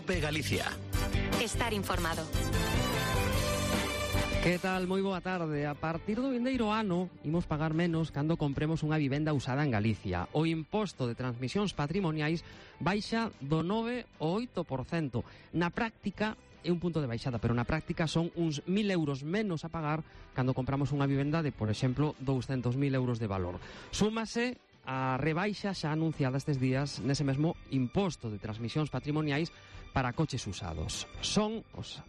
COPE Galicia. Estar informado. Que tal? Moi boa tarde. A partir do vindeiro ano imos pagar menos cando compremos unha vivenda usada en Galicia. O imposto de transmisións patrimoniais baixa do 9 ao 8%. Na práctica é un punto de baixada, pero na práctica son uns 1.000 euros menos a pagar cando compramos unha vivenda de, por exemplo, 200.000 euros de valor. Súmase a rebaixa xa anunciada estes días nese mesmo imposto de transmisións patrimoniais para coches usados. Son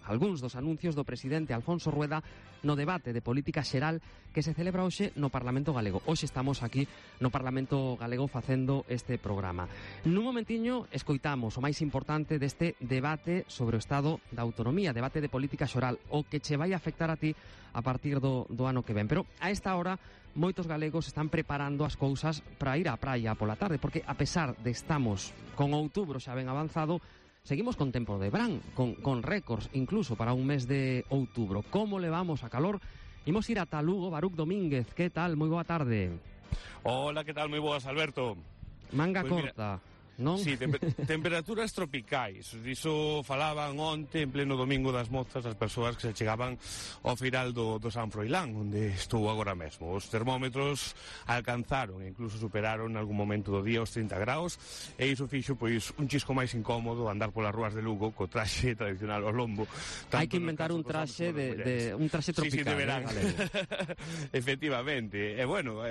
algúns dos anuncios do presidente Alfonso Rueda no debate de política xeral que se celebra hoxe no Parlamento Galego. Hoxe estamos aquí no Parlamento Galego facendo este programa. Nun momentiño escoitamos o máis importante deste debate sobre o estado da autonomía, debate de política xeral, o que che vai afectar a ti a partir do ano que ven. Pero a esta hora moitos galegos están preparando as cousas para ir á praia pola tarde, porque a pesar de estamos con outubro xa ben avanzado, seguimos con tempo de verán, con récords incluso para un mes de outubro. Como levamos a calor? Imos ir ata Lugo. Baruch Domínguez, que tal? Moi boa tarde. Hola, que tal? Moi boas, Alberto. Manga corta, non? Sí, temperaturas tropicais. Diso falaban onte, en pleno Domingo das Mozas, as persoas que se chegaban ao final do San Froilán, onde estou agora mesmo. Os termómetros alcanzaron e incluso superaron en algún momento do día os 30 graus, e iso fixo pois un chisco máis incómodo andar polas rúas de Lugo co traxe tradicional ao lombo. Hai que inventar un traxe un traxe tropical, sí, de verán. Efectivamente. E bueno,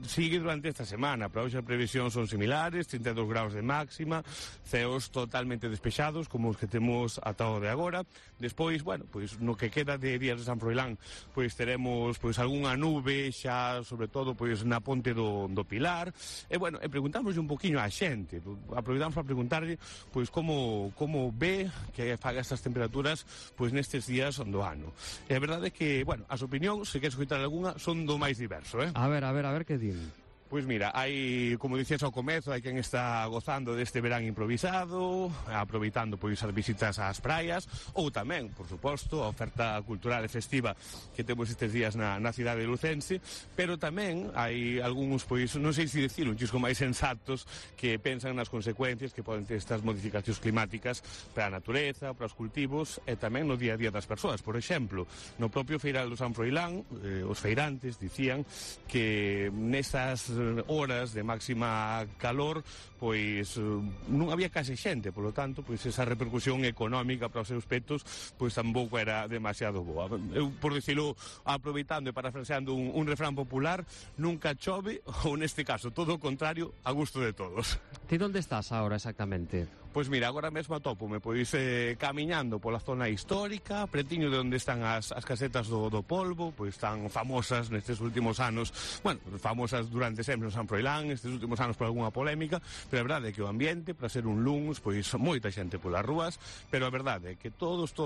sigue durante esta semana. Para hoxe a previsión son similares, 32 graus de máxima, ceos totalmente despexados como os que temos ata o de agora. Despois, bueno, pois no que queda de días de San Froilán, pois teremos pois algunha nube xa, sobre todo pois na ponte do Pilar. E bueno, preguntamos un poquinho á xente, aproveitamos para preguntarlle pois como ve que faga estas temperaturas pois nestes días do ano. E a verdade é que, bueno, as opinións, se queres escoitar algunha, son do máis diverso, A ver, que din. Pois mira, hai, como dicías ao comezo, hai quen está gozando deste verán improvisado, aproveitando pois as visitas ás praias, ou tamén, por suposto, a oferta cultural e festiva que temos estes días na cidade de Lucense, pero tamén hai algúns, pois, non sei se dicir, un chisco máis sensatos que pensan nas consecuencias que poden ter estas modificacións climáticas para a natureza, para os cultivos e tamén no día a día das persoas. Por exemplo, no propio Feiral do San Froilán, os feirantes dicían que nestas horas de máxima calor pois non había case xente, polo tanto pois esa repercusión económica para os seus petos pois tampouco era demasiado boa. Eu, por dicilo, aproveitando e parafraseando un refrán popular, nunca chove, ou neste caso todo o contrario, a gusto de todos. Ti onde estás agora exactamente? Pois mira, agora mesmo atópome pois camiñando pola zona histórica, pretiño de onde están as casetas do polvo, pois tan famosas nestes últimos anos, bueno, famosas durante sempre no San Froilán, estes últimos anos por algunha polémica, pero a verdade é que o ambiente, para ser un luns, pois moita xente polas rúas, pero a verdade é que todos,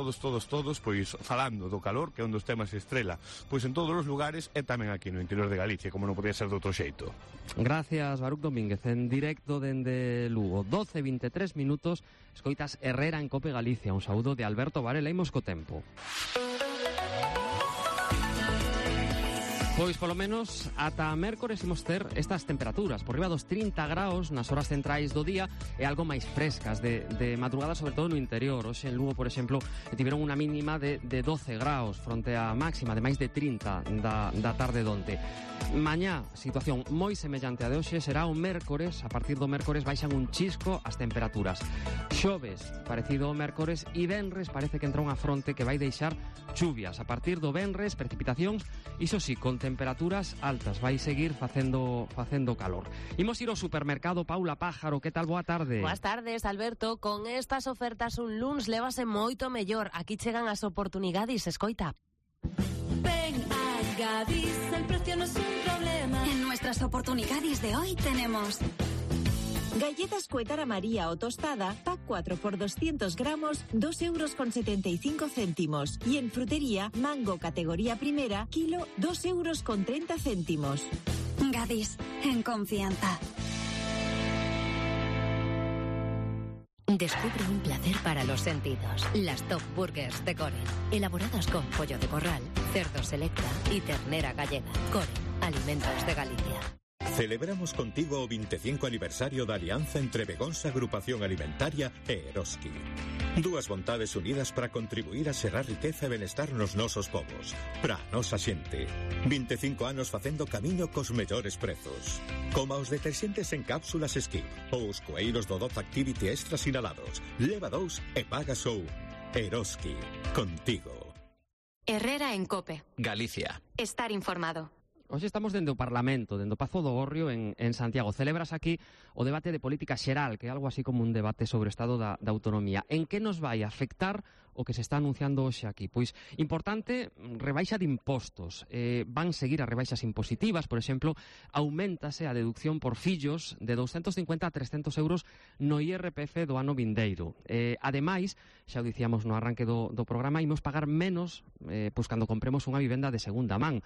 pois falando do calor, que é un dos temas estrela, pois en todos os lugares e tamén aquí no interior de Galicia, como non podía ser de outro xeito. Gracias, Baruch Domínguez, en directo dende Lugo. 12:23 minutos, escoitas Herrera en Cope Galicia. Un saúdo de Alberto Varela. Imos co tempo. Pois polo menos ata mércores imos ter estas temperaturas por riba dos 30 graus nas horas centrais do día e algo máis frescas de madrugada, sobre todo no interior. Hoxe en Lugo, por exemplo, tiveron unha mínima de 12 graus fronte a máxima de máis de 30 da tarde donte. Mañá, situación moi semellante a de hoxe, será o mércores. A partir do mércores baixan un chisco as temperaturas. Xoves, parecido ao mércores, e venres parece que entra unha fronte que vai deixar chuvias. A partir do venres, precipitacións, iso sí, con temperaturas altas, vai seguir facendo calor. Imos ir ao supermercado. Paula Pájaro, que tal? Boa tarde. Boas tardes, Alberto. Con estas ofertas un luns lévase moito mellor. Aquí chegan as oportunidades, escoita. Ven a Gadis, el precio no es un problema. En nuestras oportunidades de hoy tenemos galletas Cuetara María o tostada, pack 4 por 200 gramos, 2,75 €. Y en frutería, mango categoría primera, kilo, 2,30 €. Gadis, en confianza. Descubre un placer para los sentidos. Las Top Burgers de Coren. Elaboradas con pollo de corral, cerdo selecta y ternera gallega. Coren, alimentos de Galicia. Celebramos contigo o 25 aniversario da alianza entre Begonza Agrupación Alimentaria e Eroski. Dúas vontades unidas para contribuir a xerar riqueza e benestar nos nosos povos. Para a nosa xente. 25 anos facendo camiño cos mellores prezos. Como os deterxentes en cápsulas Skip ou os coeiros do Dove Activity Extra sinalados. Leva 2 e paga só 1. Eroski. Contigo. Herrera en COPE. Galicia. Estar informado. Hoxe estamos dende o Parlamento, dende o Pazo do Gorrio en Santiago. Celebras aquí o debate de política xeral, que é algo así como un debate sobre o estado da autonomía. En que nos vai afectar o que se está anunciando hoxe aquí? Pois, importante, rebaixa de impostos. Van seguir as rebaixas impositivas, por exemplo, aumentase a deducción por fillos de 250 a 300 euros no IRPF do ano vindeiro. Ademais, xa o dicíamos no arranque do programa, imos pagar menos pois cando compremos unha vivenda de segunda man.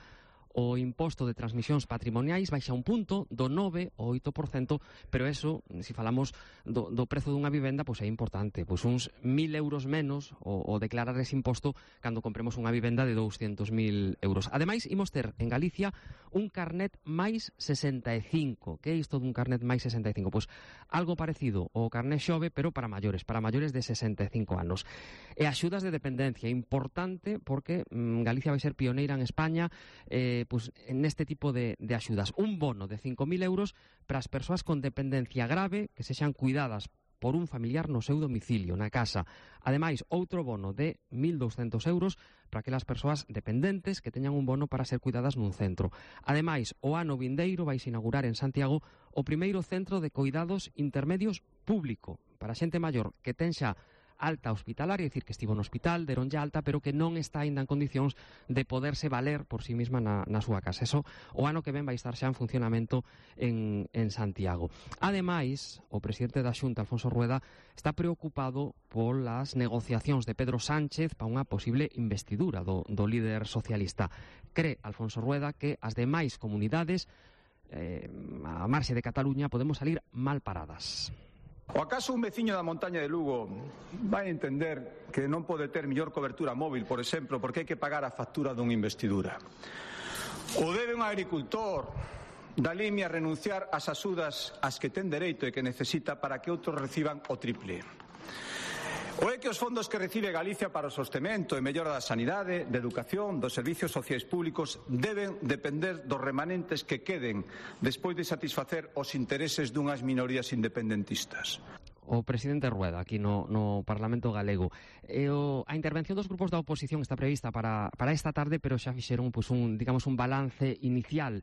O imposto de transmisións patrimoniais baixa un punto do 9 ao 8%, pero eso, se falamos do prezo dunha vivenda, pois é importante, pois uns 1.000 euros menos o declarar ese imposto cando compremos unha vivenda de 200.000 euros. Ademais, imos ter en Galicia un carnet máis 65. Que é isto dun carnet máis 65? Pois algo parecido ao carnet xove, pero para maiores de 65 anos. E axudas de dependencia, importante, porque Galicia vai ser pioneira en España pues, neste tipo de axudas. Un bono de 5.000 euros para as persoas con dependencia grave que sexan cuidadas por un familiar no seu domicilio, na casa. Ademais, outro bono de 1.200 euros para aquelas persoas dependentes que teñan un bono para ser cuidadas nun centro. Ademais, o ano vindeiro vais inaugurar en Santiago o primeiro centro de cuidados intermedios público para a xente maior que ten xa alta hospitalaria, é dicir, que estivo no hospital, deronlle alta, pero que non está aínda en condicións de poderse valer por sí mesma na súa casa. Eso, o ano que ven vai estar xa en funcionamento en Santiago. Ademais, o presidente da Xunta, Alfonso Rueda, está preocupado polas negociacións de Pedro Sánchez para unha posible investidura do líder socialista. Cree Alfonso Rueda que as demais comunidades, a marxe de Cataluña, podemos salir mal paradas. O acaso un veciño da montaña de Lugo vai entender que non pode ter mellor cobertura móvil, por exemplo, porque hai que pagar a factura dunha investidura? Ou debe un agricultor da Limia renunciar ás axudas ás que ten dereito e que necesita para que outros reciban o triple? Ou é que os fondos que recibe Galicia para o sostemento e mellora da sanidade, de educación, dos servicios sociais públicos deben depender dos remanentes que queden despois de satisfacer os intereses dunhas minorías independentistas? O presidente Rueda aquí no Parlamento galego. A intervención dos grupos da oposición está prevista para esta tarde, pero xa fixeron pues, un balance inicial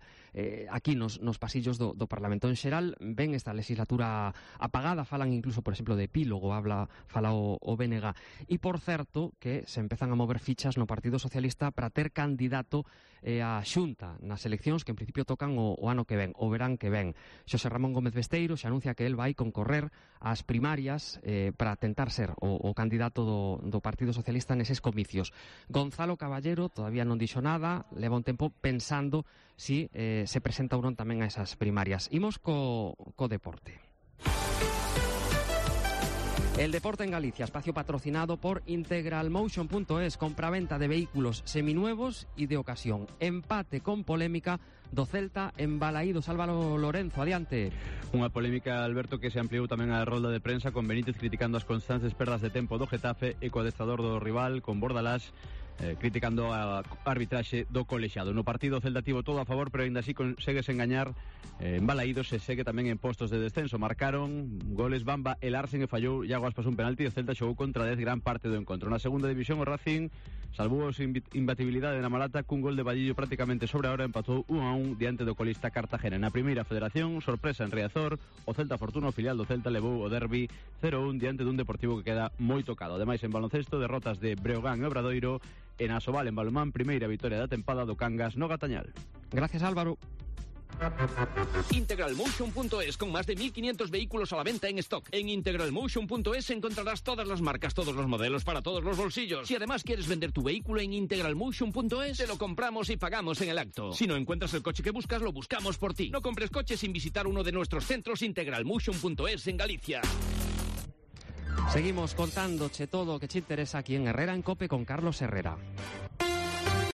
aquí nos pasillos do Parlamento. En xeral, ven esta legislatura apagada, falan incluso, por exemplo, de epílogo, fala o BNG. E, por certo, que se empezan a mover fichas no Partido Socialista para ter candidato a Xunta nas eleccións que en principio tocan o ano que ven, o verán que ven. Xosé Ramón Gómez Besteiro xa anuncia que el vai concorrer ás primarias para tentar ser o candidato do Partido Socialista neses comicios. Gonzalo Caballero todavía non dixo nada, leva un tempo pensando si se presenta ou non tamén a esas primarias. Imos co deporte. El deporte en Galicia, espacio patrocinado por integralmotion.es, compraventa de vehículos seminuevos y de ocasión. Empate con polémica do Celta en Balaídos. Álvaro Lorenzo, adiante. Unha polémica, Alberto, que se ampliou tamén a rolda de prensa con Benítez criticando as constantes perdas de tempo do Getafe e co adestrador do rival, con Bordalás, criticando a arbitraxe do colexiado. No partido o Celta tivo todo a favor, pero ainda así consegues engañar en Balaídos e segue tamén en postos de descenso. Marcaron goles Bamba e Larsen e fallou Iago Aspas un penalti e o Celta xogou contra 10 gran parte do encontro. Na segunda división o Racing salvou a imbatibilidade na Malata cun gol de Vadillo prácticamente sobre a hora, empatou 1-1 diante do colista Cartagena. Na primeira federación, sorpresa en Riazor, o Celta Fortuna, o filial do Celta, levou o derbi 0-1 diante dun Deportivo que queda moi tocado. Ademais, en baloncesto, derrotas de Breogán e Obradoiro. En Asobal, en balonmán, primeira vitoria da tempada do Cangas no Gatañal. Gracias, Álvaro. Integralmotion.es, con más de 1.500 vehículos a la venta en stock. En integralmotion.es encontrarás todas las marcas, todos los modelos para todos los bolsillos. Si además quieres vender tu vehículo en integralmotion.es, te lo compramos y pagamos en el acto. Si no encuentras el coche que buscas, lo buscamos por ti. No compres coches sin visitar uno de nuestros centros integralmotion.es en Galicia. Seguimos contándoche todo o que te interesa aquí en Herrera en Cope con Carlos Herrera.